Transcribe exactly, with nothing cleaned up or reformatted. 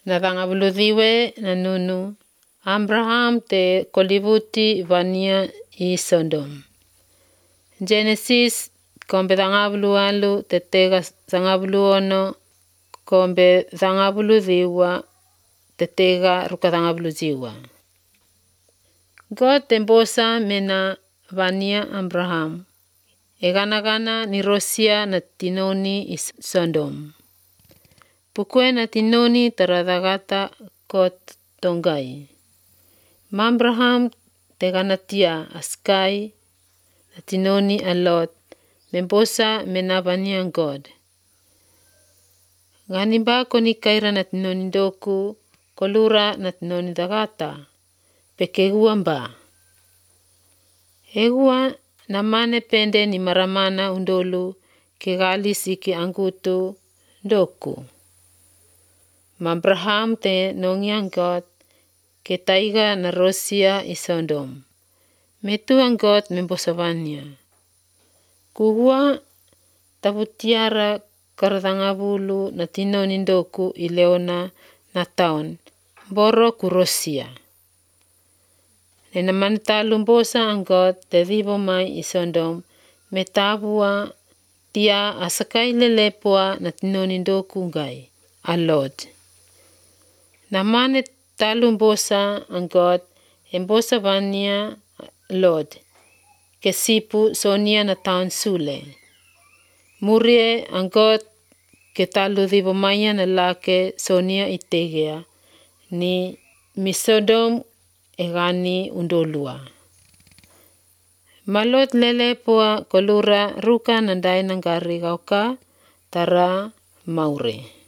na thangavuluthiwe na nunu, Abraham te kolivuti vania i Sodom. Genesis kombe thangavulu alu te tega thangavulu ono kombe thangavulu thiwa te tega ruka thangavulu thiwa. God te mbosa mena vania Abraham. E gana gana ni rosia na tinoni i Sodom. Pukue na tinoni tarathagata kot tongai. Ma Abraham te gana tia askai na tinoni a Lot. Membosa mena vania God. Ngani ba koni kaira na tinoni doku kolura na tinoni thagata. Pekegua mba. Egua na mane pende ni maramana undolu ke gali siki angutu doku. Ma Abraham te nongiang God ke taiga na rosia i Sodom. Metu ang God membosavania. Kugua tabutiara karathangavulu na tinoni doku i leona na taon. Boro kurosia. Nena manitalu mbosa ang God te thivo mai i Sodom. Me tavua tia asakai lelepua na tinoni doku ngai. A Lord. Na mane talu mbosa ang God. E mbosa vania Lord. Ke sipu sonia na taon sule. Murie ang God ke talu thivo maya na lake sonia itegea. Ni mi Sodom e gani undolua. Malot lelepua kolura ruka nandai nangari gauka tara maure.